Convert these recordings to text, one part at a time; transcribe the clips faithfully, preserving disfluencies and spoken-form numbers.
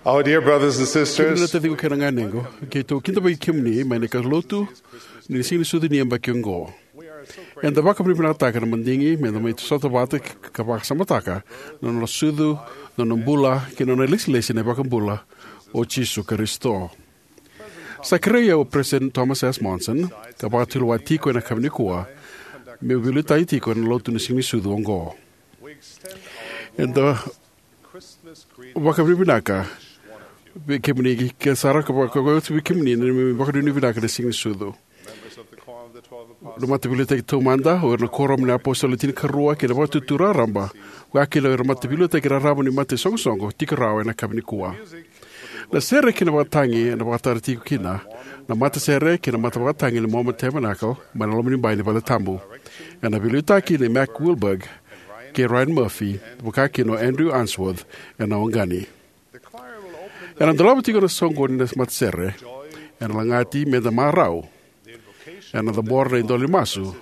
Our dear brothers and sisters, kemuni na taciqu kei na ganequ, keitou kidavaki kemuni mai na kaulotu ni Siganisucu ni yabaki oqo. Eda vakavinavinakataka na madigi meda mai sota vata ka vakasamataka na nona sucu, na nona bula kei na nona ilesilesi na iVakabula o Jisu Karisito. Sa kerei au o President Thomas S. Monson ka vakatulewa tiko ena yakavi nikua meu veiliutaki tiko ena lotu ni Siganisucu oqo. Eda vakavinavinaka vei kemuni ke sara ka vakaoti vei kemuni na neimami vakanuinui vinaka ena Siganisucu. Na mataveiliutaki taumada, o ira na Kuoramu ni Apositolo e Tinikarua kei na Vakatutu Raraba, vakakina o ira na mataveiliutaki raraba ni mataisoqosoqo, tiko rawa ena yakavi nikua. Na sere kei na vakatagi ena vakatara tiko kina na matasere kei na matavakatagi ni Mormon Tabernacle mai na loma ni bai ni valetabu. Ena veiliutaki nei Mac Wilberg kei Ryan Murphy, vakakina o Andrew Unsworth ena oqani. Ena dolava tiko na soqoni na matasere, ena lagati meda marau ena cabora na idola ni masu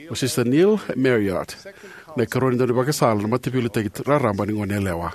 o Sister Neil Marriott, na ikarua ni daunivakasala na mataveiliutaki raraba ni Goneyalewa.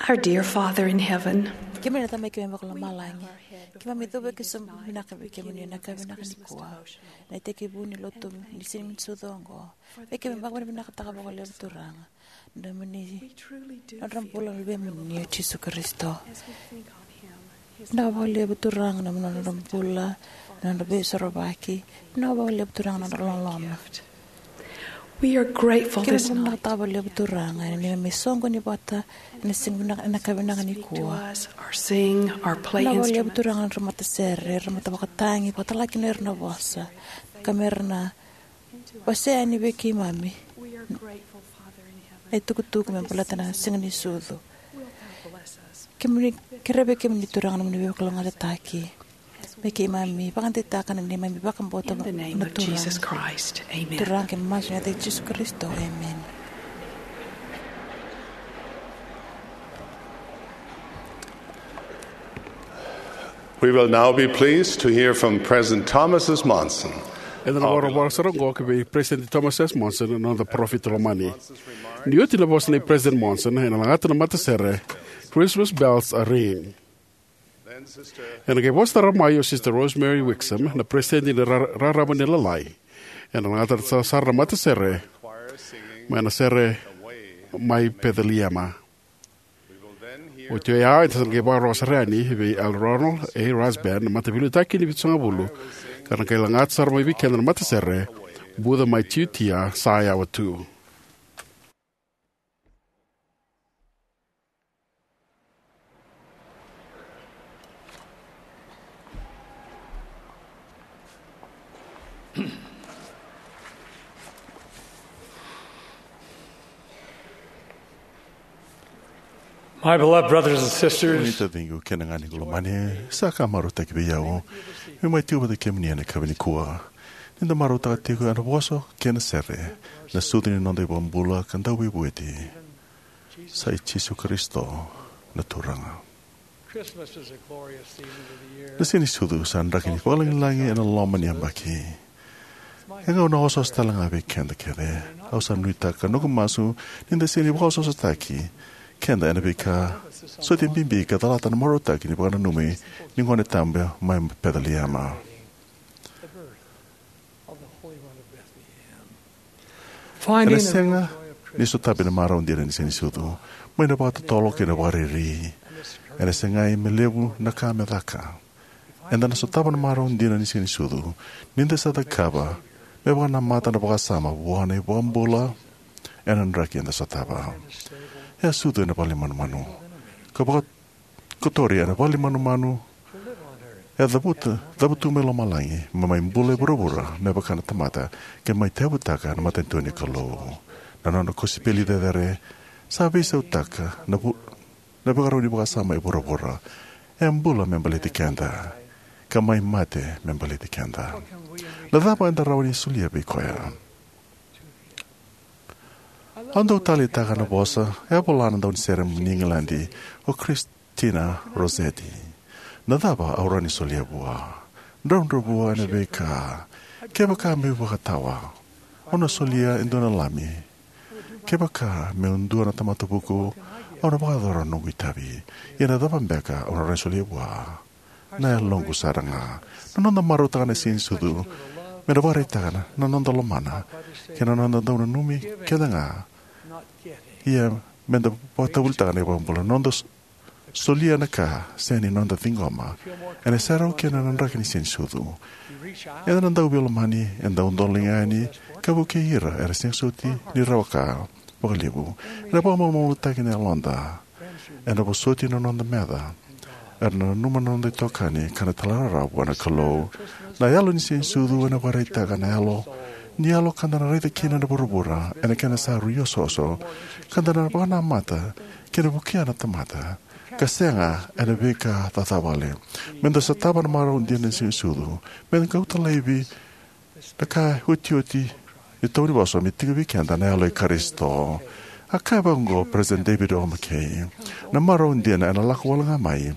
Our dear Father in heaven, kemuni na Tamai keimami vakalomalagi, keimami cuva ki sobu vinaka vei kemuni ena yakavi vinaka nikua, na itekivu ni lotu ni Siganisucu oqo. Vei keimami vakavinavinakataka vakalevu Turaga na nomuni, nodra bula na Luvemuni o Jisu Karisito. Vinaka vakalevu Turaga na nodra bula, na nodra veisorovaki. Vinaka vakalevu Turaga na nodra loloma. We are grateful this night. Keimami vakavinavinakataka vakalevu Turaga ena neimami soqoni vata ena siga vinaka, ena yakavi vinaka nikua. Our sing, our play instruments. Vinaka vakalevu Turaga na nodra matasere, nodra matavakatagi, vakatalega kina o ira na vosa ka me ra na wasea yani vei keimami na itukutuku me baleta na Siganisucu. Kemuni, kerea vei kemuni Turaga na nomuni veivakalougatataki me keimami vakadeitaka na neimami vakabauta na Turaga. Turaga, keimami masu ena yaca i Jisu Karisito. Emeni. We will now be pleased to hear from President Thomas S. Monson. Eda na vakarau sara oqo ki vei President Thomas S. Monson, na noda parofita lomani. Ni oti na vosa nei President Monson, ena lagata na matasere Christmas Bells Are Ringing. Ena qai vosa sara mai o Sister Rosemary Wixom, na President ni ra-, Rarama ni Lalai. Ena lagata sara na matasere mai na sere mai Peceliema. Oti oya, eda sa na qai vakarau sara yani vei Elder Ronald A. Rasband, na mataveiliutaki ni Vitusagavulu, ka na qai lagata sara mai vei keda na matasere Buca Mai Tiutia Sa Yawa Tu. My beloved brothers and sisters, kemuni taciqu kei na ganequ lomani, sa ka marautaki vei au meu mai tiko vata kei kemuni ena yakavi nikua. Ni da marautaka tiko ena vosa kei na sere na sucu ni noda iVakabula ka Dauveivueti, sa i Jisu Karisito na Turaga. Christmas is a glorious season of the year. Na Siga ni Sucu sa draki ni vakalagilagi ena loma ni yabaki. E gauna osooso tale ga vei keda kece. Au sa nuitaka noqu masu ni da sega ni vakaosoosotaki keda ena veika soti bibi ka calata na marautaki ni vakananumi ni Gone Tabu mai Peceliema. Ena sega ni sotavi na marau dina ni Siga ni Sucu mai na vakatotolo kei na vakariri. Ena segai me levu na ka me caka. Eda na sotava na marau dina ni Siga ni Sucu ni da sa cakava me vakanamata na vakasama vua na iVakabula ena draki eda sotava. E a sucu ena vale ni manumanu ka vakakotori ena vale ni manumanu. E a cavuta, cavutu mai lomalagi me mai bula e vuravura me vaka na tamata, ke mai tevutaka na matanitu ni Kalou. Na nona kosipeli cecere sa veisautaka na vu na vakarau ni vakasama e vuravura. E bula me baleti keda ka mai mate me baleti keda. Na cava eda rawa ni solia vei koya? Au dau taleitaka na vosa e a vola na daunisere ni Igiladi, o Christina Rossetti. Na cava au rawa ni solia vua? Dravudravua ena veika. Kevaka meu vakatawa, au na solia e dua na lami. Kevaka meu dua na tamata vuku, au na vakayacora na noqu itavi. Ia na cava beka au na rawa ni solia vua? Na yaloqu sara ga. Na noda marautaka na Siga ni Sucu me na vakaraitaka na noda lomana kei na noda dau nanumi keda ga. Ia me da vakatavulitaka na iVakabula, noda solia na ka sega ni noda ciqoma. Ena serau kina na draki ni Siga ni Sucu. Eda na dau veilomani, eda dau dola yani ka vukei ira era sega soti ni rawa ka vakalevu. Ena vakamalumalumutaki na yaloda. Ena vosoti na noda meca. Era na nanuma na noda itokani ka na talairawarawa vua na Kalou. Na yalo ni Siga ni Sucu ena vakaraitaka na yalo ni yalo ka da na raica kina na vuravura ena kena sa rui osooso, ka da na vakanamata kei na vukea na tamata ka sega ena veika cacavale. Me da sotava na marau dina ni Siga ni Sucu, me da kauta laivi na ka iotioti ni taunivosa me tiko vei keda na yalo i Karisito. A kaya vaqo o President David O. McKay, na marau dina ena lako wale ga mai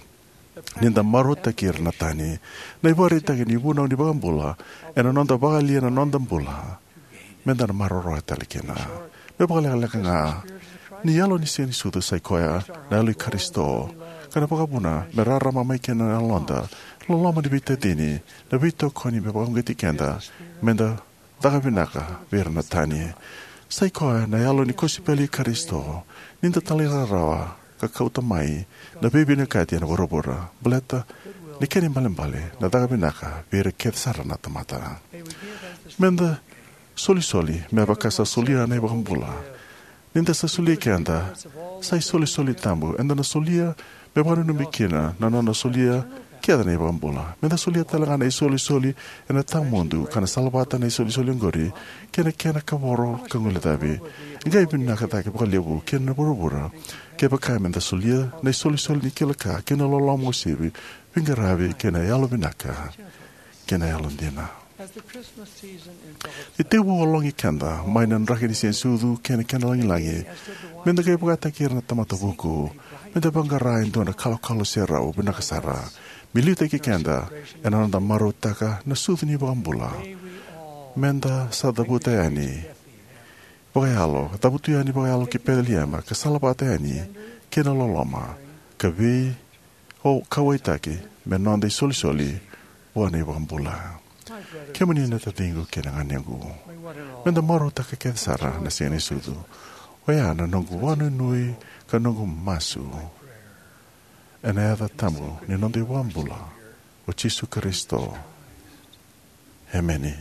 ni da marautaki ira na tani. Na ivakaraitaki ni vunau ni iVakabula ena noda vakayalia na noda bula me da na maroroya tale kina. Me vakalekaleka ga, ni yalo ni Siga ni Sucu sa i koya na yalo i Karisito, ka na vakavuna me rarama mai kina na yaloda, loloma ni veitacini, na veitokoni me vakauqeti keda me da caka vinaka vei ira na tani. Sa i koya na yalo ni kosipeli i Karisito, ni da talairawarawa ka kauta mai na veivinakati ena vuravura, baleta na kena ibalebale na caka vinaka vei ira kece sara na tamata. Me da solisoli me vaka sa solia na iVakabula. Ni da sa solia keda, sa isolisoli tabu eda na solia me vakananumi kina na nona solia kece na iVakabula. Me da solia tale ga na isolisoli ena tawamudu ka na salavata na isolisoli oqori kei na kena kavoro ka guilecavi. E qai vinaka cake vakalevu kina na vuravura kevaka me da solia na isolisoli ni kila ka kei na loloma uasivi, veiqaravi kei na yalo vinaka kei na yalo dina. Ni tekivu ologi keda mai na draki ni Siga ni Sucu kei na kena lagilagi, me da qai vakataki ira na tamata vuku me da vaqara e dua na kalokalo serau vinaka sara me liutaki keda ena noda marautaka na sucu ni iVakabula. Me da sa cavuta yani vakayalo, cavutu yani vakayalo ki Peceliema ka salavata yani kei na loloma ka vei o kauwaitaki me noda isolisoli vua na iVakabula. Kemuni na taciqu kei na ganequ, me da marautaka kece sara na Siga ni Sucu. Oya na noqu vakanuinui ka noqu masu ena yaca tabu ni noda iVakabula o Jisu Karisito. Emeni.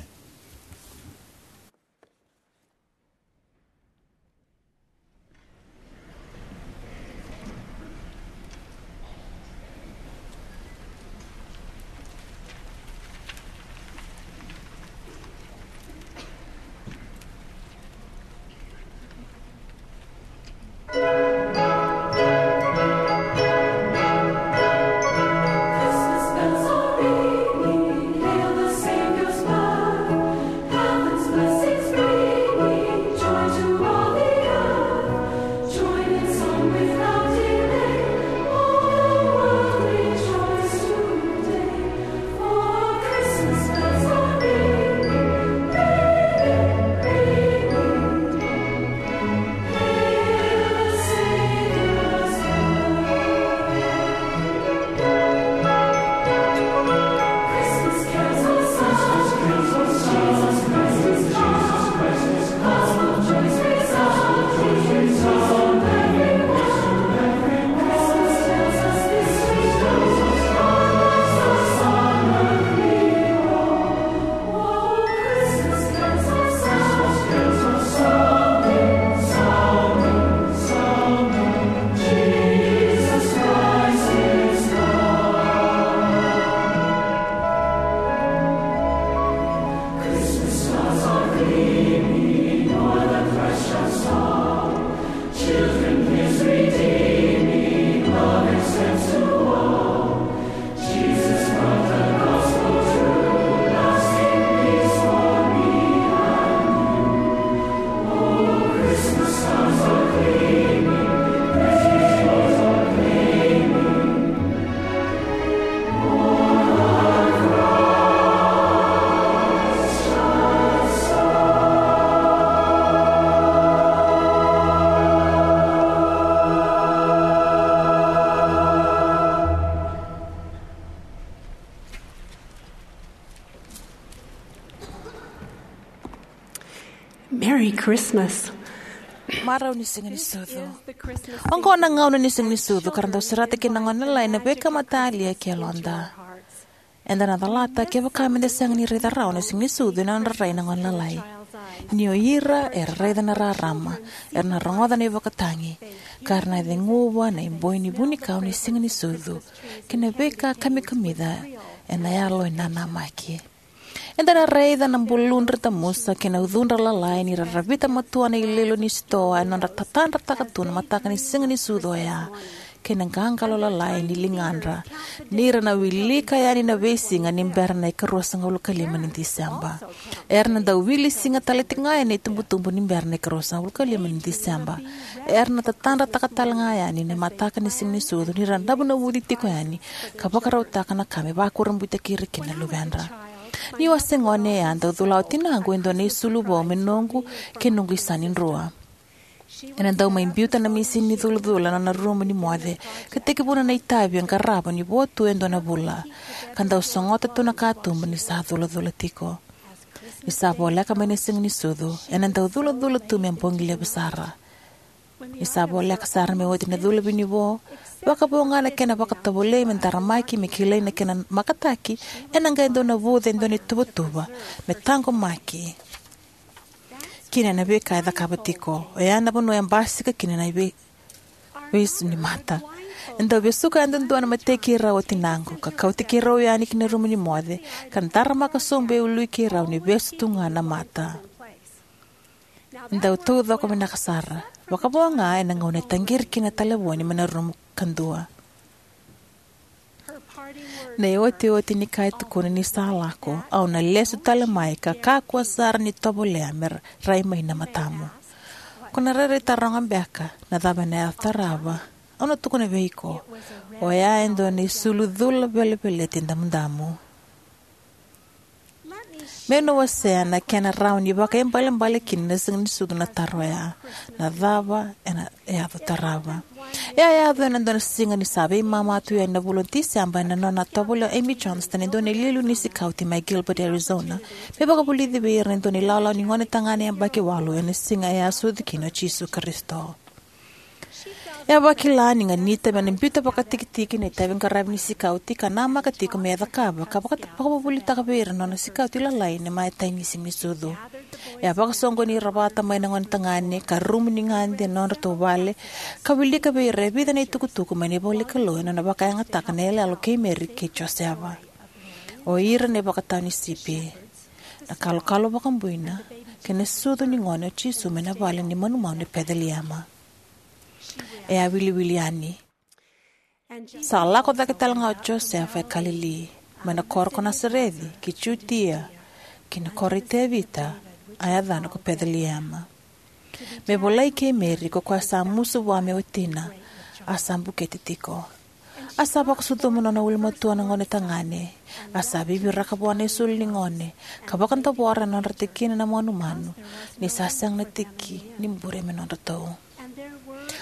Merry Christmas. Marau ni Siga ni Sucu. Oqo na gauna ni Siga ni Sucu ka ra dau serata kina na gone lalai na veika matalia ki yaloda. Eda na calata kevaka meda sega ni raica rawa na Siga ni Sucu ena nodra rai na gone lalai. Ni o ira era raica na rarama, era na rogoca na ivakatagi, ka ra na ceguva na iboi ni vunikau ni Siga ni Sucu kei na veika kamikamica ena yalo e nanamaki. Eda na raica na buludra tamusa kei na ucudra lalai ni ra ravita matua na iloilo ni sitoa ena nodra tatadrataka tu na mataka ni Siga ni Sucu oya, kei na qaqalo lalai ni ligadra ni ra na wilika yani na veisiga ni bera na ikaruasagavulu ka lima ni Tiseba. Era na dau wili siga tale tiko ga yani na itubutubu ni bera na ikaruasagavulu ka lima ni Tiseba. Era na tatadrataka tale ga yani na mataka ni Siga ni Sucu ni ra navunavuci tiko yani ka vakarautaka na ka me vakurabuitaki ira kina na luvedra. Niu a se gone, e a dau cula o tinaqu e dua na isulu vou me noqu kei noqu isa ni drua. Ena dau mai biuta na misini ni culacula na nona rumu ni moce, ka tekivuna na itavi e qarava ni vo tu e dua na vula, ka dau sogota tu na katuba ni sa culacula tiko. Ni sa voleka mai na Siga ni Sucu, ena dau culacula tu me bogi levu sara. Ni sa voleka sara me oti na cula vinivo, vakavo ga na kena vakatovolei me daramaki me kilai na kena makataki, ena qai dau navuca e dua na ituvatuva me taqomaki kina ena veika e cakava tiko. Oya na vanua e basika kina na ivei- veisu ni mata. E dau vesuka yadudua na matei keirau o tinaqu, ka kauti keirau yani ki na rumu ni moce, ka daramaka sobu e ului keirau ni vesu tu ga na mata. E dau taucoko vinaka sara, vakavo ga ena gauna e taqiri kina na talevoni mai na rumu kadua. Na iotioti ni ka e tukuna ni sa lako, au na lesu tale mai ka kakua sara ni tovolea me ra- rai mai na matamu. Ko na rairai taroga beka na cava ena yaco tarava. Au na tukuna vei iko, oya e dua na isulu cula veleveleti damudamu. Meu na wasea na kena rawa ni vakaibalebale kina na Siga ni Sucu na taro oya, na cava ena yaco tarava. E a yaco ena dua na siga ni sa veimama tu yani na vula o Tiseba ena nona a tovolea o Amy Johnston e dua na iliuliu ni sikauti mai Gilbert, Arizona, me vakavulici vei ira na dua na ilawalawa ni gone tagane yabaki walu ena siga e a sucu kina o Jisu Karisito. E a vakila ni ganita me na biuta vakatikitiki na itaviqaravi ni sikauti ka namaka tiko me cakava ka vaka- vakavuvulitaka vei ira na nona sikauti lalai na imatai ni Siga ni Sucu. E a vakasoqoni ira vata mai na gone tagane ka rumu ni gade ena nodratou vale, ka wilika vei ira e vica na itukutuku mai na ivolanikalou ena nona vakayagataka na iyaloyalo kei Meri kei Joseva. O ira na ivakatawa ni sipi, na kalokalo vakabuina, kei na sucu ni gone o Jisu mai na vale ni manumanu e Peceliema. E a wiliwili yani. Sa lako cake tale ga o Josefa e Kalili, mai na koro ko Nasareci ki Jutia, ki na koro i Tevita, a yacana ko Peceliema. Me volai kei Meri, ko koya sa musu vua me watina, a sa bukete tiko. A sa vakasucuma na nona ulumatua na gone tagane. A sa viviraka vua na isulu ni gone, ka vakadavora ena nodra tikina na manumanu, ni sa sega na tiki ni bure me nodratou.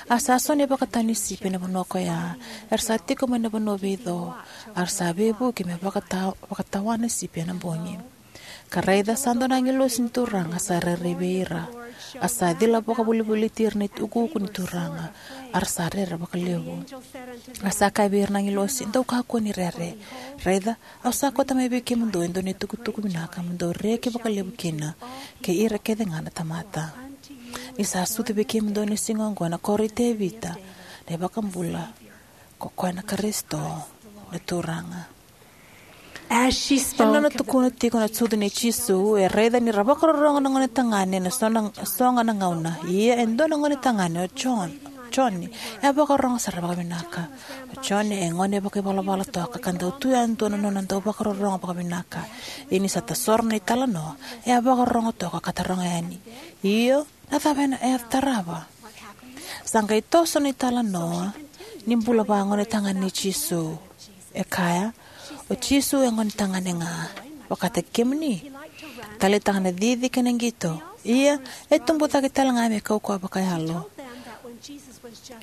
A sa so na ivakatawa ni sipi ena vanua koya, era sa tiko mai na vanua veico, a ra sa veivuke me vakata- vakatawana sipi ena bogi. Ka raica, sa dua na agilosi ni Turaga sa rairai vei ira. A sa cila vakavolivoliti ira na iukuuku ni Turaga, a ra sa rere vakalevu. A sa kaya vei ira na agilosi, dou kakua ni rere. Raica, au sa kauta mai vei kemudou e dua na itukutuku vinaka mo dou reki vakalevu kina, kei ira kece ga na tamata. Ni sa sucu vei kemudou ena siga oqo ena koro i Tevita na iVakabula, ko koya na Karisito na Turaga. As she spoke, ena nona tukuna tiko na sucu nei Jisu, e raica ni ra vakarorogo na gone tagane ena so na- sogo na gauna. Ia e dua na gone tagane o John, Joni, e a vakarorogo sara vakavinaka. O Joni e gone vakaivalavala toka ka dau tu yadua na nona dau vakarorogo vakavinaka. Ia ni sa tasoro na italanoa, e a vakarorogo toka ka taroga yani, io, na cava ena yaco tarava? Sa qai toso na italanoa ni bula vagone tagane nei Jisu. E kaya, o Jisu e gone tagane ga, vakataki kemuni. Taleitaka na cici kei na qito. Ia, e tubu cake tale ga me kaukauwa vakayalo.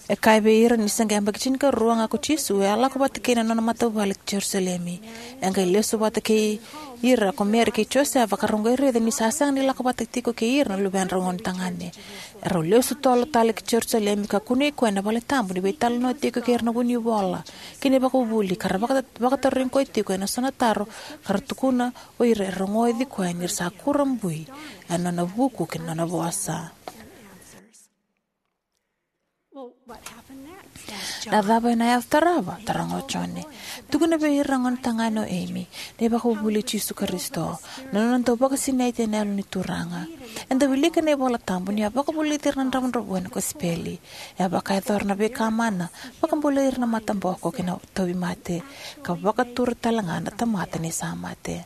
E kaya vei ira ni se qai yabaki tinikarua ga ko Jisu, e a lako vata kei na nona matavuvale ki Jerusalemi. E qai lesu vata kei ira ko Meri kei Josefa, ka ra qai raica ni sa sega ni lako vata tiko kei ira na luvedrau gone tagane. E rau lesu tolo tale ki Jerusalemi, ka kunei koya na vale tabu ni veitalanoa tiko kei ira na vunivola kei na ivakavuvuli, ka ra vaka-, vakatarogi koya tiko ena so na taro, ka ra tukuna o ira era rogoci koya ni ra sa kurabui ena nona vuku kei na nona vosa. Na cava ena yaco tarava? Taroga o Jone. Tukuna vei ira na gone tagane o Amy, na ivakavuvuli i Jisu Karisito, na nona dau vakasinaiti ena Yalo ni Turaga. Eda wilika ena iVola Tabu ni a vakavulici ira na dravudravua ena kosipeli. E a vakayacora na veika mana, vakabulai ira na mataboko kei na tauvimate, ka vakatura tale ga na tamata ni sa mate.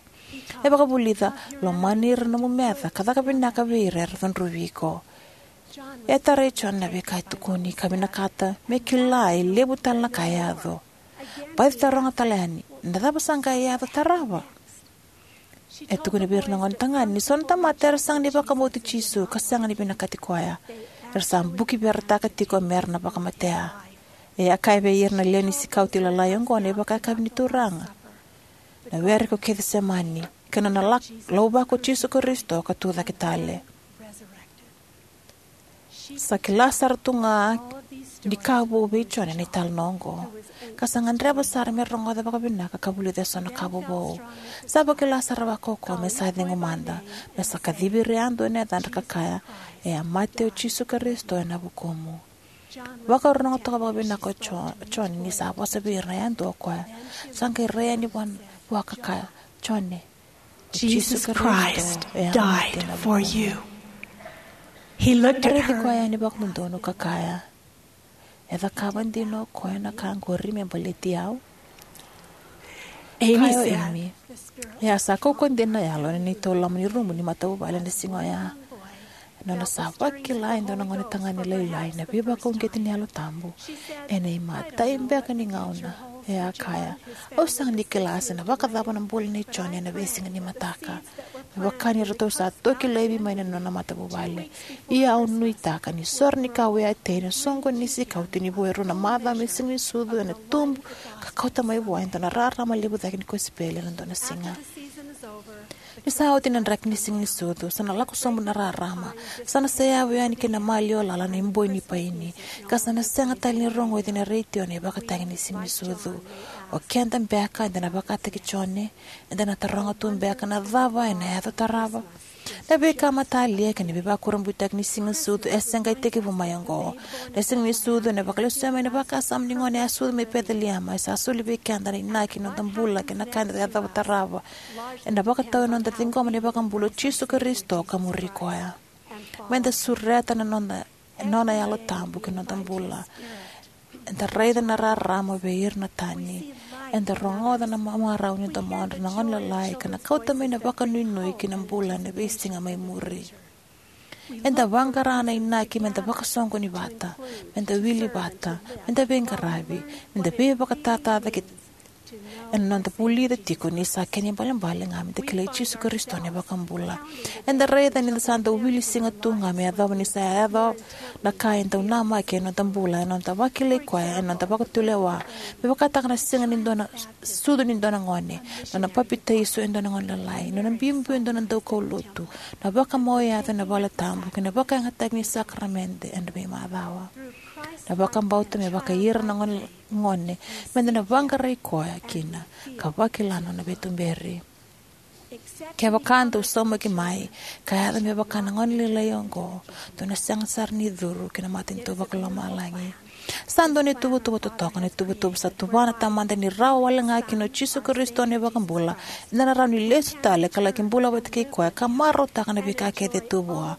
E vakavulica, lomani ira na nomu meca, ka caka vinaka vei ira era cudruvi iko. E a tarai Jone na veika e tukuni, ka vinakata me kila e levu tale na ka e yaco. Baci taroga tale yani, na cava sa qai yaco tarava? E tukuna vei ira na gone tagane ni so na tamata era sega ni vakabauti Jisu ka sega ni vinakati koya, era sa bukiveretaka tiko me ra na vakamatea. E a kaya vei ira na lewe ni sikauti lalai oqo na ivakayakavi ni Turaga, na were ko Kecisemani, kei na nona lak-, lauvako Jisu Karisito ka tucake tale. Sa kila sara tu ga ni ka vou vei Jone na italanoa oqo, ka sa gadreva sara me rogoca vakavinaka ka vulica eso na ka vovou. Sa vakila sara vakaukauwa me sa cegu mada, me sa kacivi ira yadua ena yacadra ka kaya, "E a mate o Jisu Karisito ena vukumu." Vakarorogo toka vakavinaka o Jo-, Jone ni sa vosa vei ira na yadua o koya. Sa qai rai yani vua, vua ka kaya, "Jone, o Jisu Karisito e a mate ena vukumu." He looked at her. Raici koya yani vakadodonu ka kaya, "E cakava dina o koya na ka qori me baleti au?" Amy said, "Ia sa kaukaua dina na yalo ena neitou loma ni rumu ni matavuvale ena siga oya." Ena nona sa vakila e dua na gone tagane lailai na veivakauqeti ni Yalo Tabu, ena imatai beka ni gauna, e a kaya, "Au sega ni kila se na vakacava na bula nei Jone ena veisiga ni mataka, me vaka ni ratou sa toki laivi mai na nona matavuvale. Ia au nuitaka ni so ra ni ka au a tei ena soqo ni sikauti ni vo e rua na macawa mai Siganisucu ena tubu ka kauta mai vua e dua na rarama levu cake ni kosipeli ena dua na siga." Ni sa oti na draki ni Siganisucu, sa na lako sobu na rarama, sa na seyavu yani ki na maliwa lala na iboi ni paini, ka sa na sega tale ni rogoci ena retio na ivakatagi ni Siganisucu. O keda beka eda na vakataki Jone, eda na taroga tu beka na cava ena yaco tarava? Na veika matalia kei na veivakurabuitaki ni Siganisucu e se qai tekivu mai oqo. Na Siganisucu ena vakalesuya mai na vakasama ni gone a sucu mai Peceliema, e sa soli vei keda na inaki ni noda bula kei na ka eda yacova tarava. Ena vakatau ena noda ciqoma na iVakabula o Jisu Karisito ka muri koya. Meda sureta na noda, nona Yalo Tabu ki na noda bula. Eda raica na rarama vei ira na tani. Eda rogoca na ma-, marau ni domodra na gone lalai ka na kauta mai na vakanuinui ki na bula ena veisiga mai muri. Eda vaqara na inaki meda vakasoqoni vata, meda wili vata, meda veiqaravi, meda veivakatatacake ena noda vulica tiko ni sa kena ibalebale ga meda kilai Jisu Karisito na iVakabula. Eda raica ni da sa dau wili siga tu ga me yacova ni sa yaco na ka e dau namaki ena noda bula, ena noda vakilai koya, ena noda vakatulewa. Me vakataka na siga ni dua na sucu ni dua na gone, nona papitaiso e dua na gone lalai, nona biubiu e dua na daukaulotu, na vakamau e yaco ena vale tabu, kei na vakayagataki ni sakaramede ena veimacawa. Na vakabauta me vaka ira na gone, gone, meda na vaqarai koya kina ka vakila na nona veituberi. Kevaka dau saumaki mai ka yaco me vaka na gone lailai oqo, dou na sega sara ni curu ki na matanitu vakalomalagi. Sa dua na ituvatuva totoka, na ituvatuva sa tuvana na Tamada ni rawa wale ga kina o Jisu Karisito na iVakabula, eda na rawa ni lesu tale ka laki bula vata kei koya ka marautaka na veika kece e tu vua.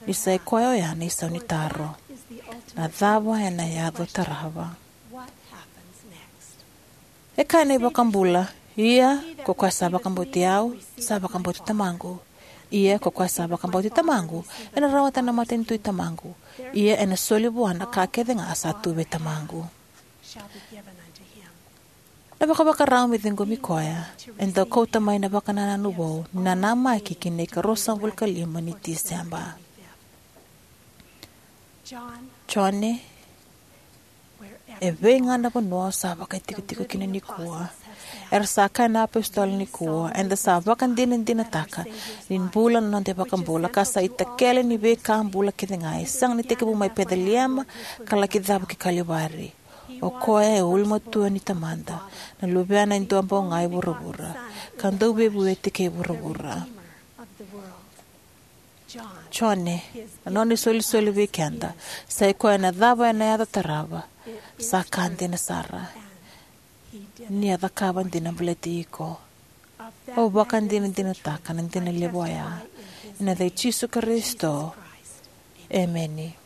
Ni sa i koya oya na isau ni taro: Na cava ena yaco tarava? E kaya na iVakabula: Ia ko koya sa vakabauti au, sa vakabauti Tamaqu. Ia ko koya sa vakabauti Tamaqu ena rawata na matanitu i Tamaqu. Ia ena soli vua na ka kece ga sa tu vei Tamaqu. Na vakavakarau me ciqomi koya e dau kauta mai na vakanananu vou ni nanamaki ki na ikaruasagavulu ka lima ni Tiseba. Jone, E vei ga na vanua o sa vakaitikotiko kina nikua. Era sa kaya na apositolo nikua, eda sa vakadinadinataka ni bula na noda iVakabula, ka sa itakele ni veika bula kece ga, e sega ni tekivu mai Peceliema ka laki cava ki Kalivari. O koya e ulumatua ni Tamada, na Luvena e duabau ga e vuravura, ka Dauveivueti kei vuravura. Jone, na nona isolisoli vei keda, sa i koya na cava ena yaco tarava, sa ka dina sara. Ni a cakava dina baleti iko. Au vakadinadinataka na dina levu oya. Ena yaca i Jisu Karisito. Emeni.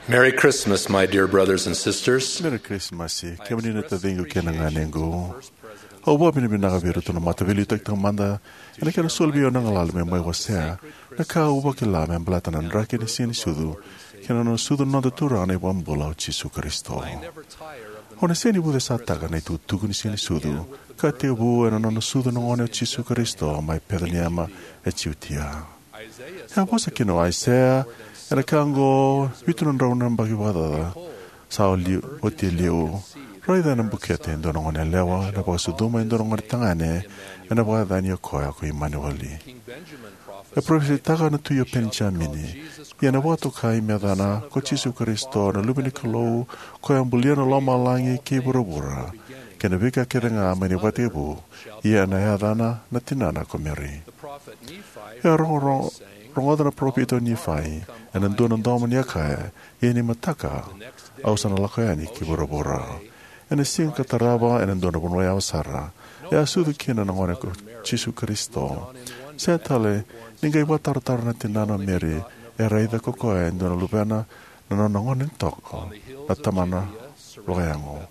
Merry Christmas, my dear brothers and sisters. Merry Christmas, kemuni na taciqu kei na ganequ. Au vakavinavinaka vei iratou na mataveiliutaki taumada ena kena soli vei au na galala meu mai wasea na ka au vakila me baleta na draki ni Siganisucu kei na nona sucu na noda Turaga na iVakabula o Jisu Karisito. Au na sega ni vucesataka na itukutuku ni Siganisucu ka tekivu ena nona sucu na gone o Jisu Karisito mai Peceliema e Jutia. E a vosa kina o Aisea ena ka oqo vitu na drau na yabaki vakacaca sa oti e liu. Raica ena bukete e dua na gone yalewa ena vakasucuma e dua na gone tagane, ena vakayacani o koya ko Imanueli. E parofisaitaka na tui o Penijamini, ia ena vakatokai me yacana ko Jisu Karisito na Luve ni Kalou, ko koya a bulia na lomalagi kei vuravura kei na veika kece ga mai na ivakatekivu, ia ena yacana na tinana ko Meri. E a rogo-, rogoca na parofita o Nifai ena dua na domo ni a kaya, ia ni mataka au sa na lako yani ki vuravura. Ena siga ka tarava, ena dua na vanua yawa sara, e a sucu kina na gone ko Jisu Karisito. Sega tale ni qai vakatarotaro na tinana o Meri, e raica ko koya e dua na luvena, na nona gone ni toko, na tamana vakayago.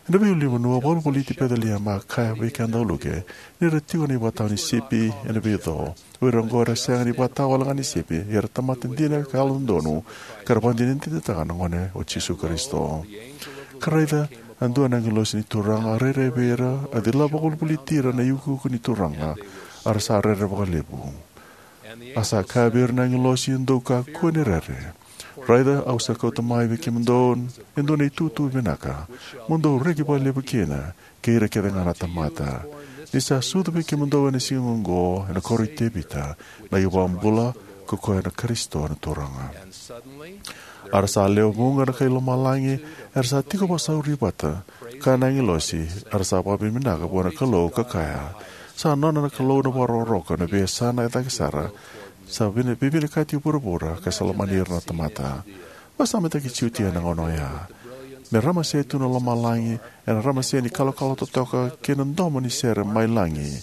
Ena veiulunivanua, vakavolivoliti Peceliema, a kaya vei keda o Luke ni ra tiko na ivakatawa ni sipi ena veico. O ira oqo era sega ni vakatawa wale ga ni sipi, ia era tamata dina ka yalododonu, ka ra vakadinadinataka na gone o Jisu Karisito. Ka raica, a dua na agilosi ni Turaga a rairai vei ira, a cila vakavolivoliti ira na iukuuku ni Turaga, a ra sa rere vakalevu. A sa kaya vei ira na agilosi, dou kakua ni rere. Raica, au sa kauta mai vei kemudou e dua na itutu vinaka, mo dou reki vakalevu kina, kei ira kece ga na tamata. Ni sa sucu vei kemudou ena siga oqo, ena koro i Tevita, na iVakabula, ko koya na Karisito na Turaga. A ra sa lewe vuqa na kai lomalagi era sa tiko vakasauri vata, kaya na agilosi, a ra sa vakavinavinaka vua na Kalou ka kaya, sa nona na Kalou na vakarokoroko ena veiyasana e cake sara, sa vina-, veivinakati vuravura ka sa lomani ira na tamata. Vakasamataki Jutia ena gauna oya. Me ramase tu na lomalagi ena ramase ni kalokalo totoka kei na domo ni sere mai lagi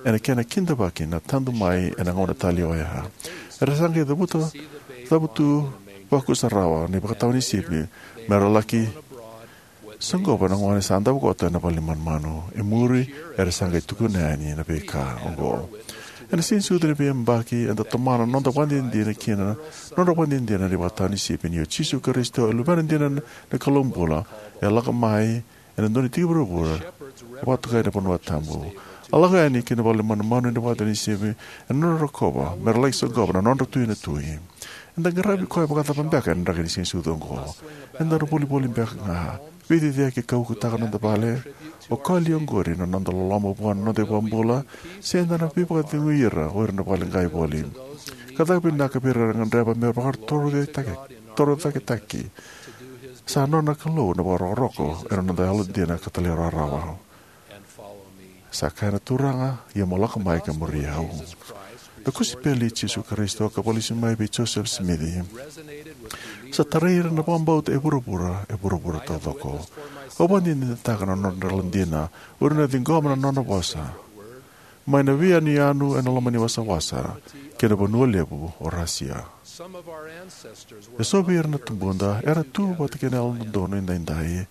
ena kena kidavaki na tadu mai ena gauna talei oya. Era sa qai cavuta, cavutu vakusarawa na ivakatawa ni sipi me ra laki soqova na gone sa davo koto ena vale ni manumanu. E muri, era sa qai tukuna yani na veika oqo. Ena Siganisucu ni veiyabaki, eda tomana na noda vakadinadina kina, nodra vakadinadina na ivakatawa ni sipi ni o Jisu Karisito e Luvena dina na Kalou bula, e lako mai ena dua na tiki vuravura, e vakatokai na vanua tabu. A lako yani ki na vale ni manumanu ena ivakatawa ni sipi, ena nodra rokova me ra laki soqova na nodra Tui na tui. Eda qaravi koya vakacava beka ena draki ni Siganisucu oqo? Eda na volivoli beka ga, veiciciyaki ka ukutaka na noda vale? O koya li oqori na noda loloma vua na noda iVakabula, se eda na veivakacegui ira o ira na vale qai voli? Ka caka vinaka vei ira era gadreva me ra vakatoroicake-, torocaketaki. Sa nona na Kalou na vakarokoroko ena noda yalodina ka talairawarawa. Sa kaya na Turaga, ia mo lako mai ka muri au. Na kosipeli i Jisu Karisito ka vakalesui mai vei Joseph Smith sa tarai ira na vakabauta e vuravura, e vuravura taucoko. Au vakadinadinataka na nodra yalodina o ira na ciqoma na nona vosa mai na veiyanuyanu ena loma ni wasawasa kei na vanua levu o Rasia. Eso vei ira na tubuda era tu vata kei na Yalododonu Edaidai,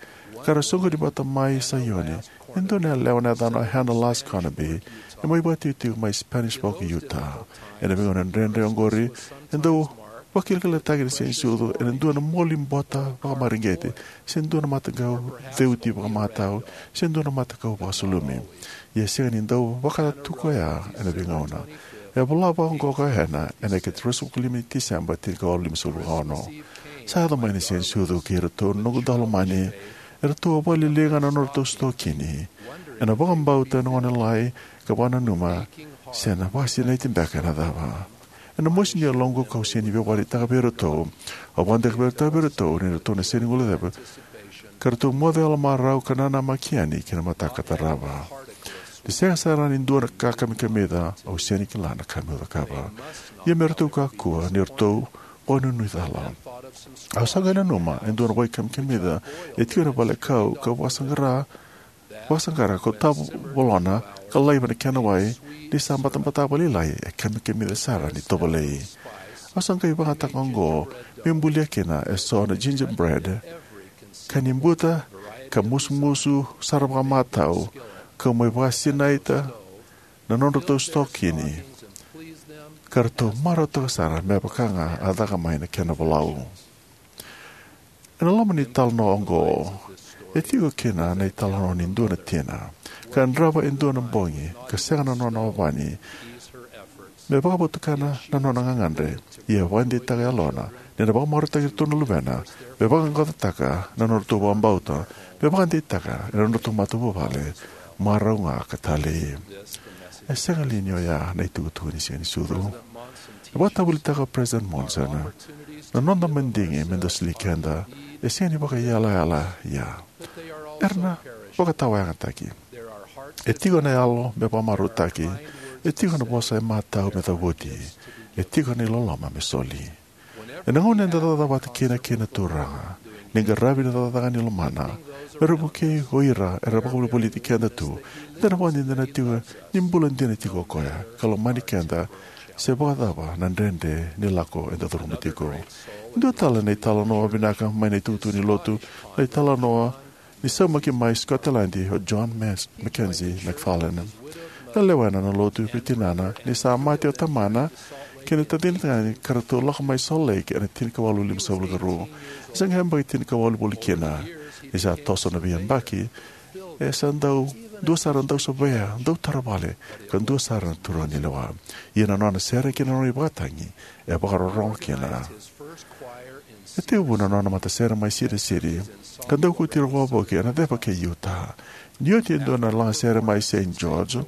ka ra soqoni vata mai Saioni. E dua na yalewa na yacana o Hannah Last Carnaby, e mai vakatikotiko mai Spanish Fork, Utah. Ena veigauna dredre oqori, e dau vakilakilakataki na Siganisucu ena dua na moli bota vakamareqeti, se dua na matakau ceuti vakamatau, se dua na matakau vakasulumi. Ia e sega ni dau vaka tu koya ena veigauna. E a vola vaqo o Hannah ena ika ruasagavulu ka lima ni Tiseba, tinikawalu limasagavulu ka ono: Sa yaco mai na Siganisucu kei iratou na noqu daulomani, eratou a vakaliliga na nodratou sitokini ena vakabauta na gone lalai, ka vakananuma se na vakasinaiti beka ena cava. Ena mosi ni yaloqu kau sega ni via vakaraitaka vei iratou. Au vakadekevutaka vei iratou ni ratou na sega ni guilecava, ka ratou moce yalomarau ka nanamaki yani ki na mataka tarava. Ni sega sara ni dua na ka kamikamica, au sega ni kila na ka meu cakava. Ia me ratou kakua ni ratou vakanuinui cala. Au sa qai nanuma e dua na wai kamikamica e tiko ena valekau, kau vakasaqara, vakasaqara, kau tavolona ka laiva na kena wai. Ni sa batabata vakalailai, e kamikamica sara ni tovolei. Au sa qai vakayagataka oqo meu bulia kina eso na gingerbread ka ni buta ka musumusu sara vakamatau, kau mai vakasinaita na nodratou sitokini, ka ratou marautaka sara me vaka ga a caka mai na kena volau. Ena loma ni italanoa oqo e tiko kina na italanoa ni dua na tina ka yadrava e dua na bogi ka sega na nona ovani me vakavotukana na nona gagadre. Ia e vakadeitaka e yalona ni na vakamarautaki iratou na luvena me vaqaqacotaka na nodratou vakabauta, me vakadeitaka ena nodratou matavuvale, marau ga ka talei. E sega li ni oya na itukutuku ni Siganisucu? E vakatavulitaka o President Monson, na noda madigi me da soli keda e sega ni vakaiyalayala. Ia era na vakatawayagataki. E tiko na yalo me vakamarautaki. E tiko na vosa e matau me cavuti. E tiko na iloloma me soli. Ena gauna eda cakacaka vata kina kei na Turaga ni qaravi na cakacaka ni lomana me ra vukei o ira era vakavolivoliti keda tu, eda na vakadinadina tiko ni bula dina tiko o koya ka lomani keda, se vakacava na dredre ni lako eda curuma tiko. Dua tale na italanoa vinaka mai na itukutuku ni lotu, na italanoa ni saumaki mai Scotland o John Mes- Mackenzie McFarlane. E lewena na lotu vei tinana ni sa mate o tamana kei na tacina tagane ka ratou lako mai Salt Lake ena tinikawalu limasagavulu ka rua. E sa qai yabaki tinikawalu voli kina. Ni sa toso na veiyabaki, e sa dau dua sara dau savea, dau taravale, ka dua sara na turaga ni lewa. Ia na nona sere kei na nona ivakatagi e vakarorogo kina. E tekivu na nona matasere mai Cedar City ka dau kauti ira wavoki ena ceva kei Utah. Ni oti e dua na lagasere mai Saint George,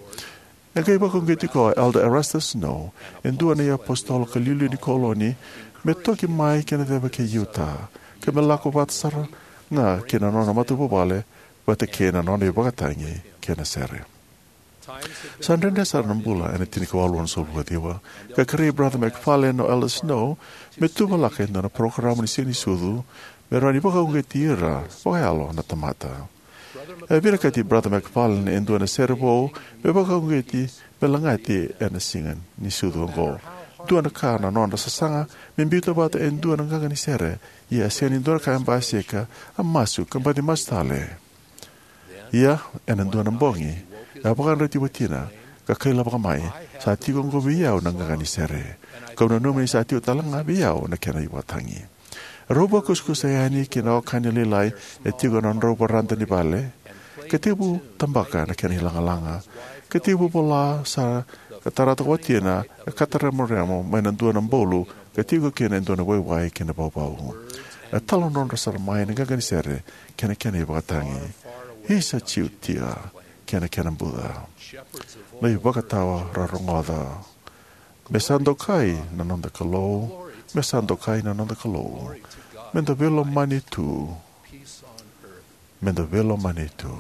e qai vakauqeti koya o Elder Erastus Snow, e dua na iapositolo ka liuliu ni koloni, me toki mai ki na ceva kei Utah ka me lako vata sara ga kei na nona matavuvale vata kei na nona ivakatagi kei na sere. Sa dredre sara na bula ena tinikawalu onosagavulu ka ciwa, ka kerei Brother McFarlane o Elder Snow me tuvalaka e dua na parokaramu ni Siganisucu me rawa ni vakauqeti ira vakayalo na tamata. E vinakati Brother McFarlane e dua na sere vou me vakauqeti me lagati ena Siganisucu oqo. Dua na ka na nona sasaga me biuta vata e dua na qaqa ni sere, ia e sega ni dua na ka e basika, a masu ka baci masu tale. Ia ena dua na bogi, a vakayadrati watina ka kailavaka mai, sa tiko oqo vei au na qaqa ni sere. Kau nanuma ni sa tiko tale ga vei au na kena ivakatagi. Rau vakusakusa yani ki na okani lailai e tiko ena nodrau varada ni vale, ka tekivu tabaka na kena ilagalaga, ka tekivu vola sara ka tarata ko watina, ka kataremoremo mai na dua na bolu ka tiko kina e dua na waiwai kei na vauvau. E taladrodro sara mai na qaqa ni sere kei na kena ivakatagi. Isa Jiutia kei na kena buca. Na ivakatawa ra rogoca. Me sa dokai na noda Kalou, me sa dokai na noda Kalou. Me da veilomani tu, me da veilomani tu,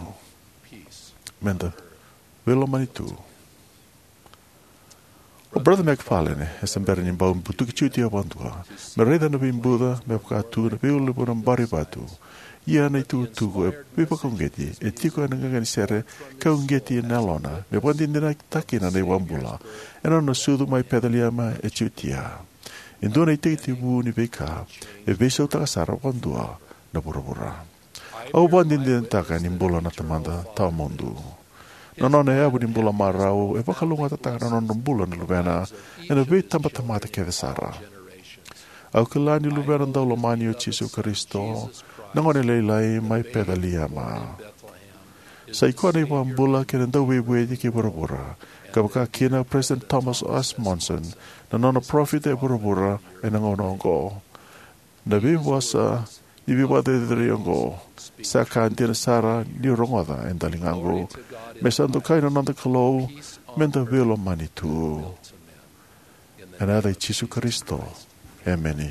me da veilomani tu. O Brother McFarlane e se bera ni bau butuki Jiutia vakadua me raica na veibuca me vaka tu na veiulunivanua bari vatu. Ia na itukutuku e veivakauqeti e tiko ena qaqa ni sere ka uqeti ena yalona me vakadinadinataka kina na iVakabula ena nona sucu mai Peceliema e Jiutia. E dua na itekitekivu ni veika e veisautaka sara vakadua na vuravura. Au vakadinadinataka ni bula na Tamada Tawamudu. Na nona yavu ni bula marau e vakalougatataka na nona bula na Luvena ena veitabatamata kece sara. Au kila ni Luvena daulomani o Jisu Karisito na gone lailai mai Peceliema. Sa i koya na iVakabula kei na Dauveivueti kei vuravura, ka vaka kina o President Thomas S. Monson, na nona parofita e vuravura ena gauna oqo. Na veivosa ni veivakacerecerei oqo sa ka dina sara niu rogoca e daligaqu. Me sa dokai na noda Kalou, me da veilomani tu. Ena yaca i Jisu Karisito, emeni.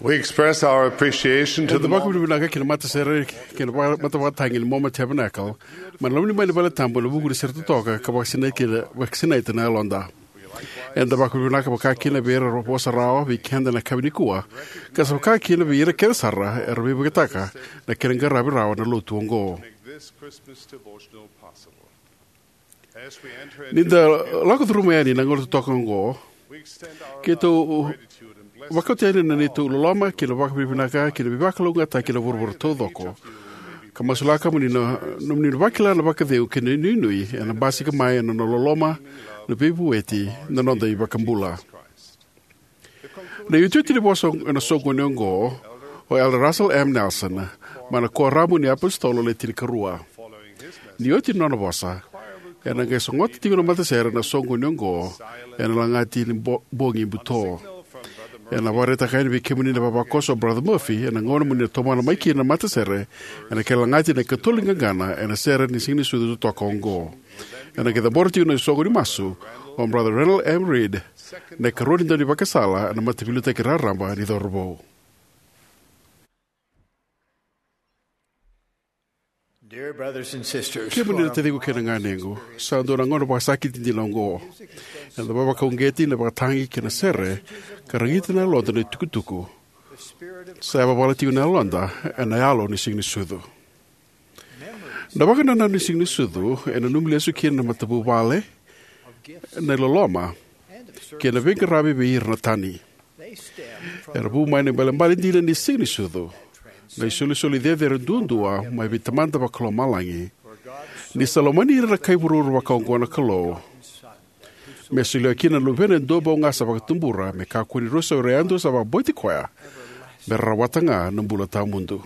We express our appreciation to Eda the Mormon vakavinavinaka kina matasere kei na va- matavakatagi ni Mormon Tabernacle mai na loma ni mai ni vale tabu ena vuku ni sere totoka ka vakasinaita kina, vakasinaita na yaloda. Eda vakavinavinaka vakakina vei ira era vosa rawa vei keda ena yakavi nikua, ka sa vakakina vei ira kece sara era veivuketaka na kena qaravi rawa na lotu oqo. This Christmas devotional possible. As we enter Ni into da lako curuma yani na gauna totoka oqo, we extend our keitou love, gratitude, and blessing vakauta yani na neitou loloma kei na vakavinavinaka kei na veivakalougatataki ena vuravura taucoko. Ka masulaka mo ni na nomuni na vakila na vakacegu kei na inuinui ena basika mai ena nona loloma, na veivueti, na noda iVakabula. Na iotioti ni vosa ena soqoni oqo o Elder Russell M. Nelson mai na Kuoramu ni iApositolo Le Tinikarua. Ni oti na nona vosa, ena qai sogota tiko na matasere ena soqoni oqo ena lagati ni bo- bogi buto. Ena vakaraitaka yani vei kemuni na ivavakoso o Brother Murphy ena gauna mo ni na tomana mai kina na matasere ena kena lagati na ikatolu ni qaqana ena sere ni Siganisucu totoka oqo. Ena qai cabora tiko na soqo ni masu o Brother Randall M. Reed, na ikarua ni daunivakasala ena Mataveiliutaki Raraba ni Cauravou. Dear brothers and sisters, Kemuni na taciqu kei na ganequ, sa dua na gauna vakasakiti dina oqo. Eda vakauqeti na vakatagi kei na sere ka ragita na yaloda na itukutuku. Sa yavavala tiko na yaloda ena yalo ni Siganisucu. Na vakanananu ni Siganisucu e nanumi lesu kina na matavuvale, na iloloma, kei na veiqaravi vei ira na tani. Era vu mai na ibalebale dina ni Siganisucu, na isolisoli cecere duadua mai vei Tamada Vakalomalagi. Ni sa lomani ira na kai vuravura vakaoqo na Kalou, me solia kina na Luvena e dua bau ga sa vakatubura, me kakua ni rusa o ira yadua sa vakabauti koya me ra rawata ga na bula tawamudu.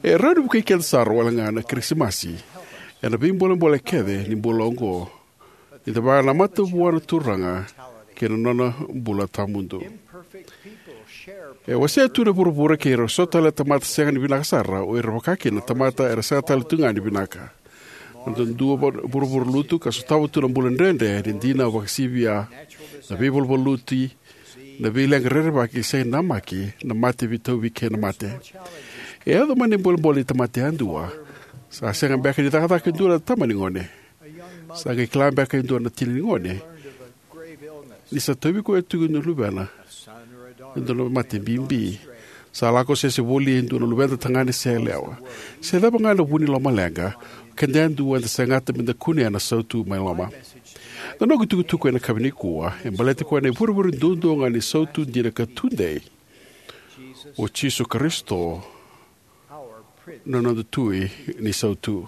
E rawa ni vukei keda sara wale ga na Kirisimasi ena veibolebole kece ni bula oqo, ni da vakanamata vua na Turaga kei na nona bula tawamudu. E wasea tu na vuravura kei ira so tale na tamata sega ni vinaka sara, o ira vaka kina na tamata era sega tale tu ga ni vinaka. Na dua vuravura lutu ka sotava tu na bula dredre ni dina vakasivia, na veivaluvaluti, na veileqa rerevaki, sega ni namaki, na mate veitauvi kei na mate. E yaco mai na ibolebole ni tamata yadua. Sa sega beka ni cakacaka e dua na tama ni gone. Sa qai kila beka e dua na tina ni gone ni sa tauvi koya tiko na luvena e dua na mate bibi. Sa lako sese voli e dua na luveda tagane se yalewa, se cava ga na vu ni lomaleqa. Keda yadua eda segata meda kunea na sautu mai loma. Na noqu itukutuku ena yakavi nikua e baleti koya na ivurevure duadua ga ni sautu dina ka tudei, o Jisu Karisito, na noda Tui ni sautu.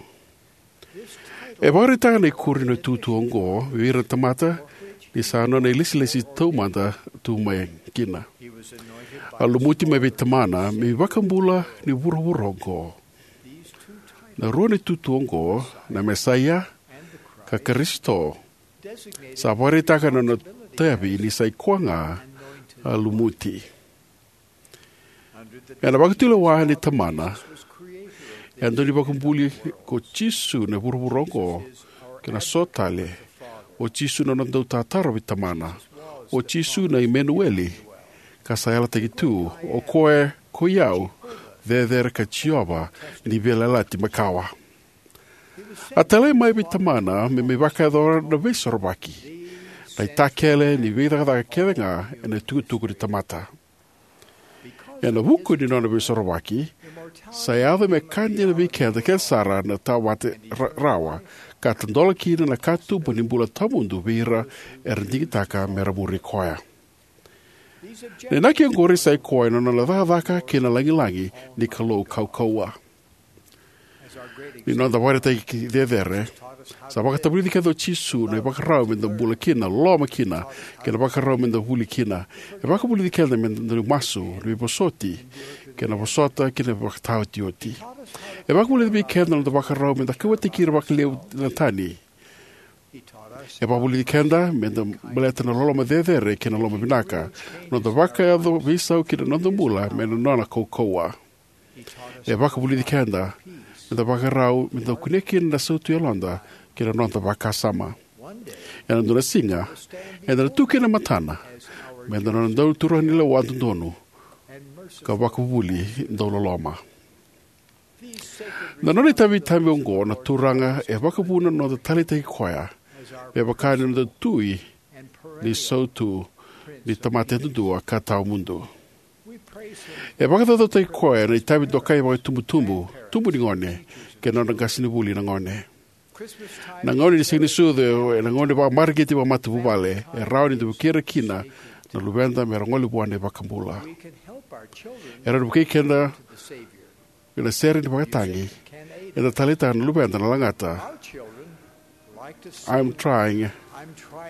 E vakaraitaka na ikuri ni tutu oqo vei ira na tamata ni sa nona ilesilesi taumada tu mai kina. A lumuti mai vei Tamana me iVakabula ni vuravura oqo. Na rua ni tutu oqo, na Mesaia ka Karisito, sa vakaraitaka na nona itavi ni sa i koya ga a lumuti. Ena vakatulewa ni Tamana, e a daunivakabuli ko Jisu na vuravura oqo kei na so tale, o Jisu na nona dautataro vei Tamana, o Jisu na Imenueli, ka sa yalataki tu, o koya ko i au, cecere ka Jiova ni Veiyalayalati Makawa. A talai mai vei Tamana me mai vakayacora na Veisorovaki, na itakele ni veicakacaka kece ga ena itukutuku ni tamata. Ena vuku ni nona Veisorovaki, sa yaco me ka dina vei keda kece sara na tawate ra- rawa, ka tadola kina na katuba ni bula tawamudu vei ira era digitaka me ra muri koya. Na inaki oqori sa i koya na nona cakacaka kei na lagilagi ni Kalou kaukauwa. Ni noda vakaraitaki cecere, sa vakatavulici keda o Jisu na ivakarau meda bula kina, loloma kina, kei na vakarau meda vuli kina. E vakavulici keda meda dau masu, na veivosoti, kei na vosota, kei na vakataotioti. E vakavulici vei keda na noda vakarau meda kauwaitaki ira vakalevu na tani. E vakavulici keda meda baleta na loloma cecere kei na loloma vinaka, na noda vakayaco veisau kei na noda bula mai na nona kaukauwa. E vakavulici keda meda vakarau meda kunea kina na sautu yaloda kei na noda vakasama. Ena dua na siga, eda na tu kina e matana meda nona dau turaga ni lewa dodonu, ka vakavuvuli dau loloma. Na nona itavi tabu oqo na Turaga e vakavuna na noda taleitaki koya me vaka ni noda Tui ni sautu ni tamata yadudua ka tawamudu. E vakacaucautaki koya na itavi dokai vakaitubutubu, tubu ni gone, kei na nodra qasenivuli na gone. Na gauna ni Siganisucu ena gauna vakamareqeti vakamatavuvale e rawa ni da vukei ira kina na luveda me ra gole vua na iVakabula. E rawa ni vukei keda ena sere ni vakatagi. Eda taleitaka na luveda na lagata, "I'm trying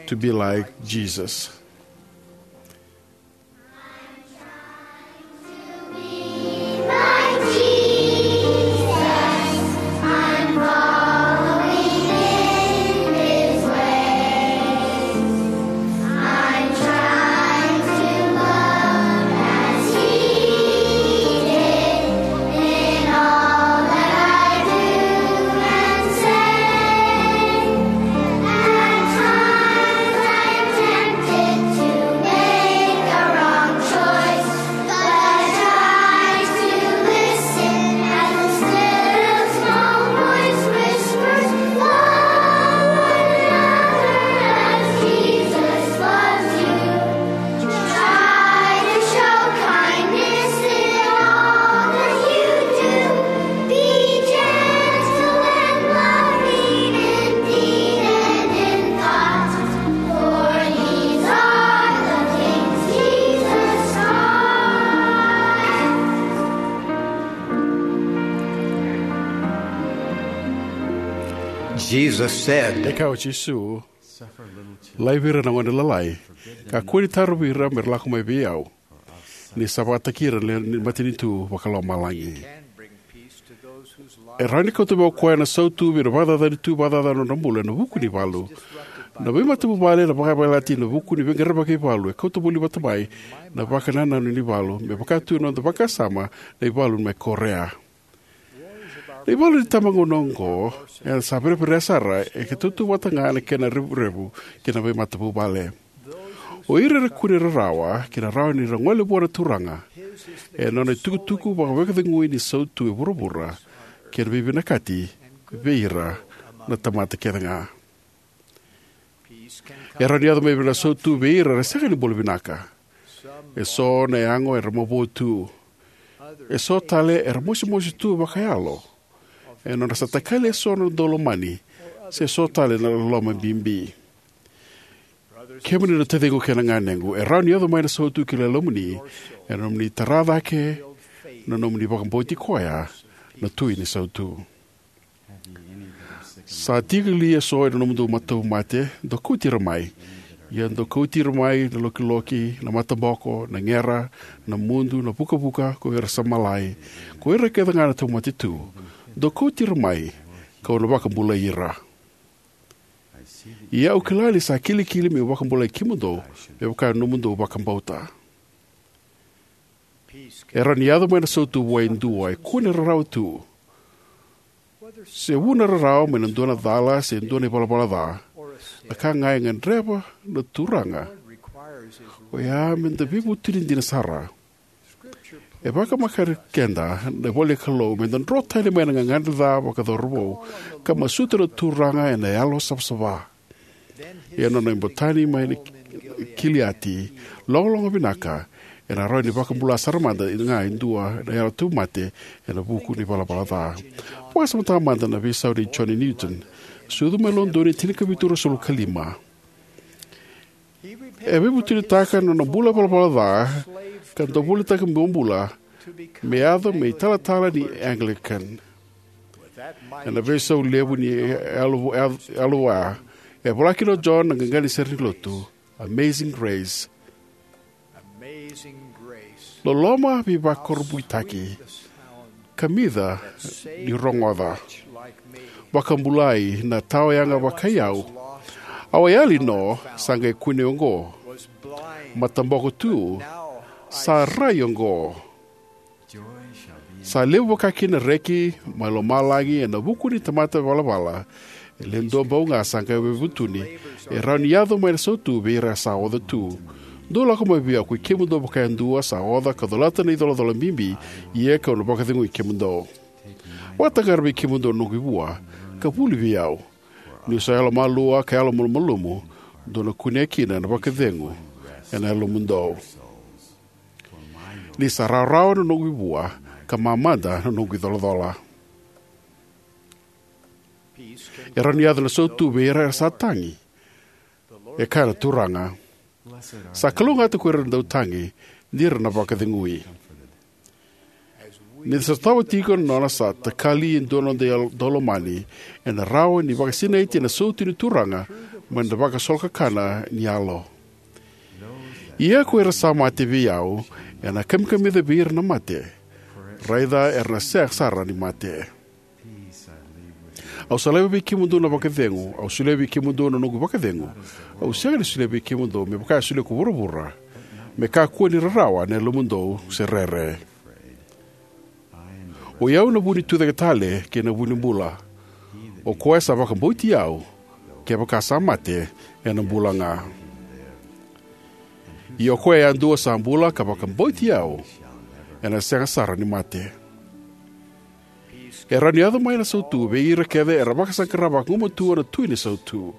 to be like Jesus." Jesus said, E kaya o Jisu, "Laivi ira na gone lalai, kakua ni tarovi ira me ra lako mai vei au, ni sa vakataki ira na matanitu vakalomalagi." E rawa ni kauta mai o koya na sautu vei ira na vakacacani tu vakacacana na nodra bula ena vuku ni valu. Na veimatavuvale, na vakayavalati, na vuku ni veiqaravi vakaivalu e kauta voli vata mai na vakanananu ni valu, me vaka tu na noda vakasama na ivalu mai Korea. Na ivalu ni itabagauna oqo eda sa vereverea sara, e ka tautauvata ga na kena revurevu kei na veimatavuvale. O ira era kune rarawa kei na rawa ni ra gole vua na Turaga ena nona itukutuku vakavakacegui ni sautu e vuravura kei na veivinakati vei ira na tamata kece ga. E rawa ni yaco mai na sautu vei ira era sega ni bula vinaka. E so na yago era mavoa tu. E so tale era mosimosi tu vakayalo ena nodra sa takali e so na daulomani, se so tale na loloma bibi. Kemuni na taciqu kei na ganequ, e rawa ni yaco mai na sautu ki lomamuni ena nomuni tara cake na nomuni vakabauti koya na Tui ni sautu. Sa tiko li e so ena nomudou matauvimate? Dou kauti ira mai. Ia dou kauti ira mai na lokiloki, na mataboko, na gera, na mudu, na vukavuka, ko ira sa malai, ko ira kece ga na tauvimate tu. Dou kauti ira mai, ka'u na vakabulai ira. Ia au kila ni sa kilikili me'u vakabulai kemudou me vaka na nomudou vakabauta. E rawa ni yaco mai na sautu vua e dua e kune rarawa tu. Se vu na rarawa mai na dua na cala se dua na ivalavala ca, na ka ga e gadreva na Turaga oya me da veivutuni dina sara. E vakamareqeti keda na ivola ni Kalou me da dro tani mai na gagadre ca vakacauravou, ka masuta na Turaga ena yalo savasava. Ia na nona ibotani mai na Kiliati, logologo vinaka, ena rawa ni vakabula sara mada ga e dua na yalo tauvimate ena vuku ni valavala ca. Vakasamataka mada na veisau nei John Newton, sucu mai Lodoni, tinikavitu ruasagavulu ka lima. E veivutunitaka na nona bula valavala ca ka dau volitaka bobula me yaco me italatala ni Anglican. Ena veisau levu ni yalo, yalo, yalo vua, e vola kina o John na qaqa ni sere ni lotu, Amazing Grace. Loloma veivakurabuitaki, kamica ni rogoca. Vakabulai na tawayaga vakai au. Au a yali no, sa qai kune oqo. Mataboko tu, sa rai oqo. Sa levu vaka kina na reki mai lomalagi ena vuku ni tamata valavala. E le dua bau ga sa qai veivutuni, e rawa ni yaco mai na sautu vei ira sa oca tu. Dou lako mai vei au, koi kemudou vakayadua sa oca ka colata na icolacola bibi, ia kau na vakacegui kemudou. Vakataqara vei kemudou na noqu ivua, ka vuli vei au. Niu sa yalomalua ka yalomalumalumu, dou na kunea kina na vakacegu ena yalomudou. Ni sa rawarawa na noqu ivua, ka mamada na noqu icolacola. E rawa ni yaco na sautu vei ira era sa tagi. E kaya na Turaga, sa kalougata ko ira na dautagi, ni ra na vakacegui. Ni da sotava tiko na nona sa takali e dua na noda yalo daulomani, ena rawa ni vakasinaiti ena sautu ni Turaga mai na vakasolokakana ni yalo. Ia ko ira sa mate vei au, ena kamikamica vei ira na mate. Raica era na sega sara ni mate. Au sa laiva vei kemudou na vakacegu, au solia vei kemudou na noqu vakacegu. Au sega ni solia vei kemudou me vaka e solia ko vuravura. Me kakua ni rarawa na yalomudou se rere. Oi au na vu ni tucake tale kei na vu ni bula. O koya sa vakabauti au, kevaka sa mate, ena bula ga. Ia o koya yadua sa bula ka vakabauti au, ena sega sara ni mate. E rawa ni yaco mai na sautu vei ira kece era vakasaqara vagumatua na Tui ni Sautu.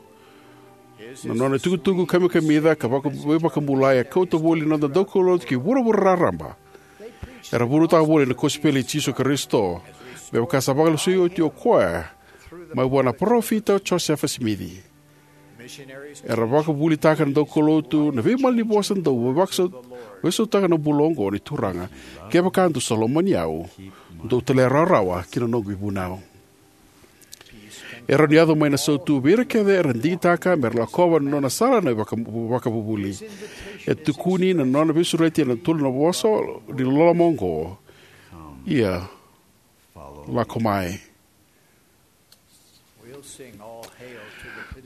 Na nona itukutuku kamikamica ka vaka-, veivakabulai e kauta voli na noda daukaulotu ki vuravura raraba. Era vunautaka voli na kosipeli i Jisu Karisito, me vaka sa vakalesui oti o koya mai vua na parofita o Josefa Simici. Era vakavuvulitaka na daukaulotu, na veimalanivosa dau veivakasau-, veisautaka na bula oqo ni Turaga. Kevaka dou sa lomani au, dou talairawarawa ki na noqu ivunau. E rawa ni yaco mai na sautu vei ira kece era digitaka me ra lakova na nona sala na vaka-, vakavuvuli. E tukuni na nona veisureti ena tolu na vosa ni loloma oqo. Ia, lako mai.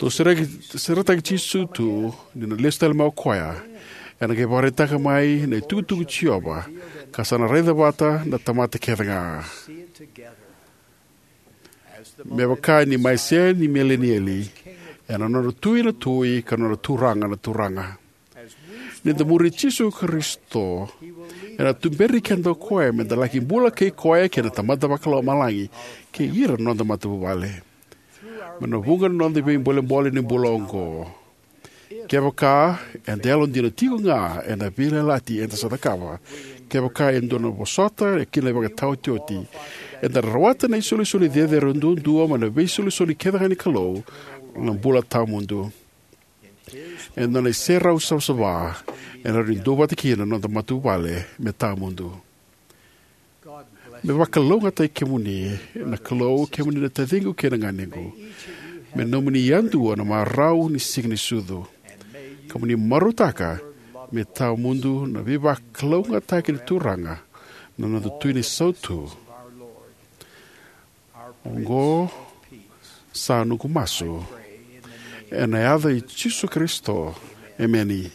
Tou sereki, seretaki Jisu tu, ni na lesu tale mai o koya. Ena qai vakaraitaka mai na itukutuku i Jiova, ka sa na raica vata na tamata kece ga. Me vaka ni mai se ni milenieli, ena nona Tui na tui, ka nona Turaga na turaga. Ni da muri Jisu Karisito, ena tuberi keda o koya me da laki bula kei koya kei na Tamada Vakalomalagi, kei ira na noda matavuvale. Mai na vuqa na noda veibolebole ni bula oqo. Kevaka eda yalodina tiko ga ena veiyalayalati eda sa cakava, kevaka e dua na vosota kina na ivakataotioti, eda rawata na isolisoli cecere duadua mai na veisolisoli kece ga ni Kalou, na bula tawamudu. E nona iserau savasava, e na rawa ni duavata kina na noda matavuvale me tawamudu. Me vakalougatataki kemuni na Kalou, kemuni na taciqu kei na ganequ. Me nomuni yadua na marau ni Siga ni Sucu. Ka mo ni marautaka me tawamudu na veivakalougatataki ni Turaga, na noda Tui ni Sautu. Oqo sa noqu masu, ena yaca i Jisu Karisito. Emeni.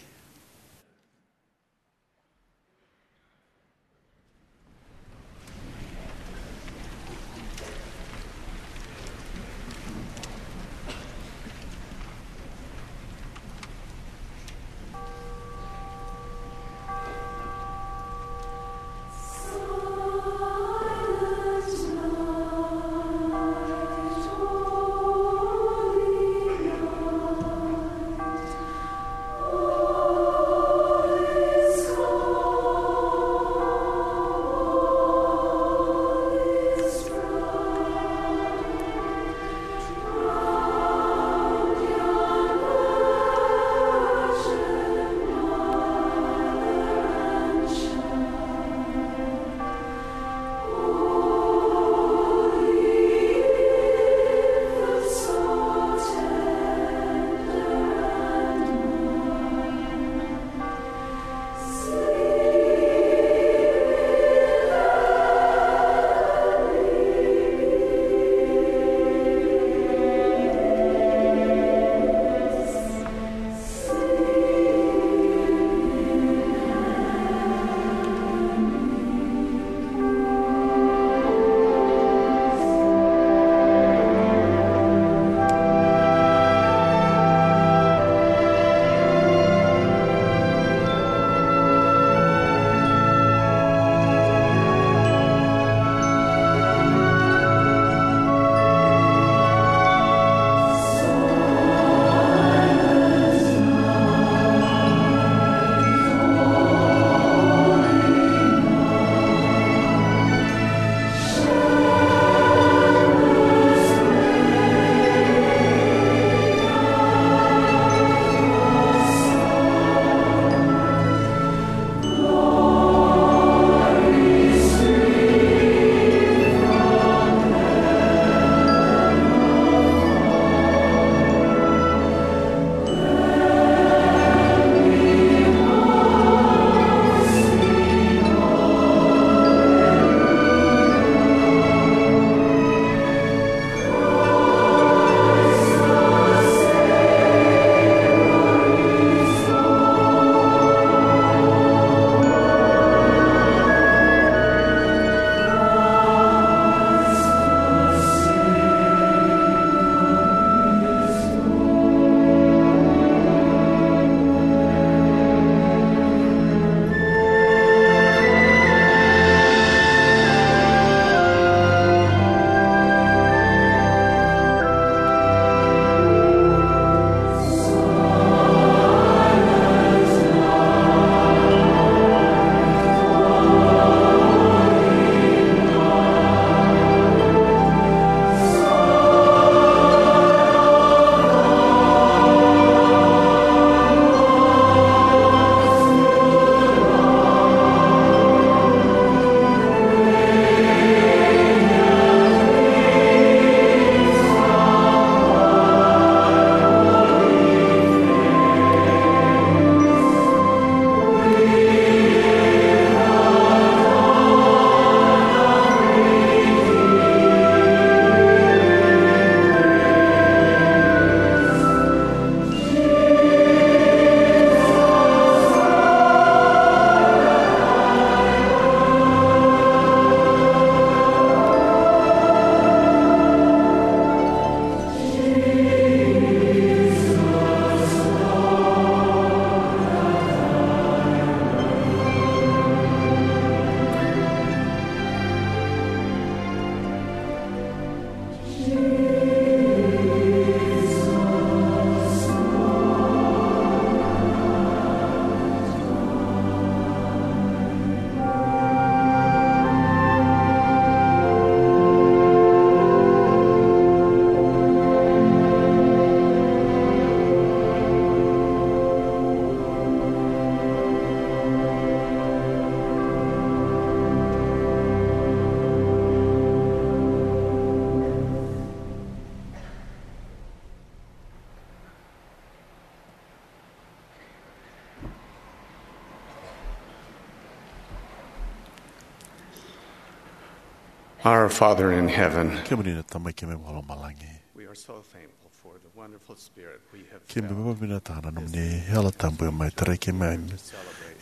Our Father in heaven, kemuni na Tamai keimami vakalomalagi, we are so thankful for the wonderful spirit we have keimami felt vakavinakataka na nomuni Yalo Tabu e mai tarai keimami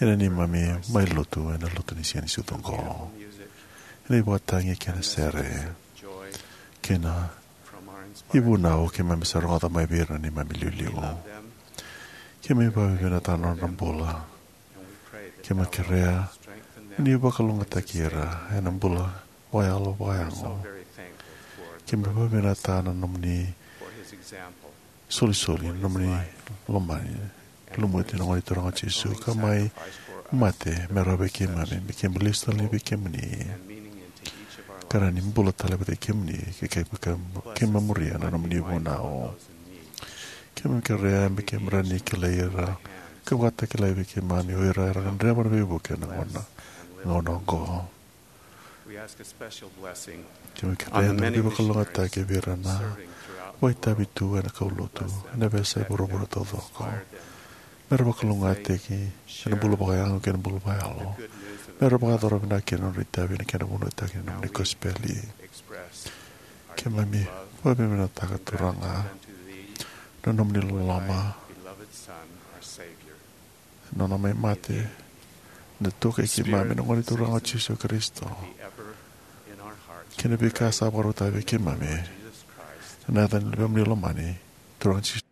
ena neimami mai lotu ena lotu ni siga ni sucu oqo. Ena ivakatagi kei na sere kei na ivunau keimami sa rogoca mai vei ira na neimami iliuliu. Keimami vakavinakataka na nodra bula. Keimami kerea ni vakalougatataki ira ena bula vakayalo vakayago. Keimami vakavinakataka na nomuni solisoli, na nomuni lomani, lumuti na Gone Turaga o Jisu ka mai mate me rawa vei keimami me keimami lesu tale vei kemuni ka rawa ni bula tale vata kei kemuni ke keimami muria na nomuni vunau. Keimami kerea me keimami rawa ni kilai ira ka vakatakilai vei keimami o ira era gadreva na veivuke ena gauna oqo. Keimami kerea na veivakalougatataki vei ira na vakaitavi tu ena kaulotu ena veiyasai vuravura taucoko. Me ra vakalougatataki ena bula vakayago kei na bula vakayalo. Me ra vakayacora vinaka kina na nodra itavi ena kena vunautaki na nomuni kosipeli. Keimami vakavinakataka, Turaga, na nomuni loloma, na nona mai mate, na tokai keimami na Gone Turaga o Jisu Karisito, kei na veika sa vakarautaka vei keimami. Ena yaca ni Luvemuni lomani, Turaga Jisu